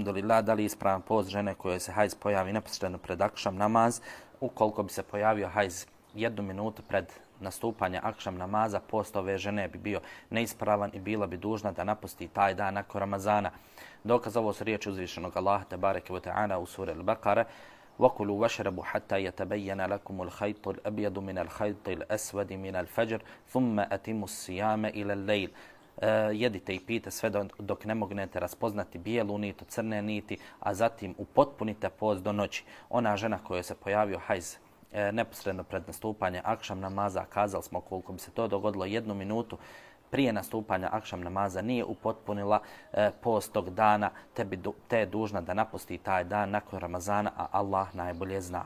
alhamdulillah, da li je ispravan post žene koje se hajz pojavi neposredno pred akšam namaz, ukoliko bi se pojavio hajz 1 minutu pred nastupanje akšam namaza, post ove žene bi bio neispravan i bila bi dužna da napusti taj dan nakon Ramazana. Dokaz ovo su riječi uzvišenog Allaha tebareke ve ta'ala u suri Al-Baqara: وَكُلُوا وَاشْرَبُوا حَتَّى يَتَبَيَّنَ لَكُمُ الْخَيْطُ الْأَبْيَضُ مِنَ الْخَيْطِ الْأَسْوَدِ مِنَ الْفَجْرِ ثُمَّ أَتِمُّوا الصِّيَامَ إِلَى اللَّيْلِ. Jedite i pijte sve dok ne mognete raspoznati bijelu nit od crne niti, a zatim upotpunite post do noći. Ona žena koja se pojavio hajz neposredno pred nastupanje akšam namaza, kazali smo koliko bi se to dogodilo 1 minutu prije nastupanja akšam namaza, nije upotpunila post tog dana, te je dužna da napusti taj dan nakon Ramazana, a Allah najbolje zna.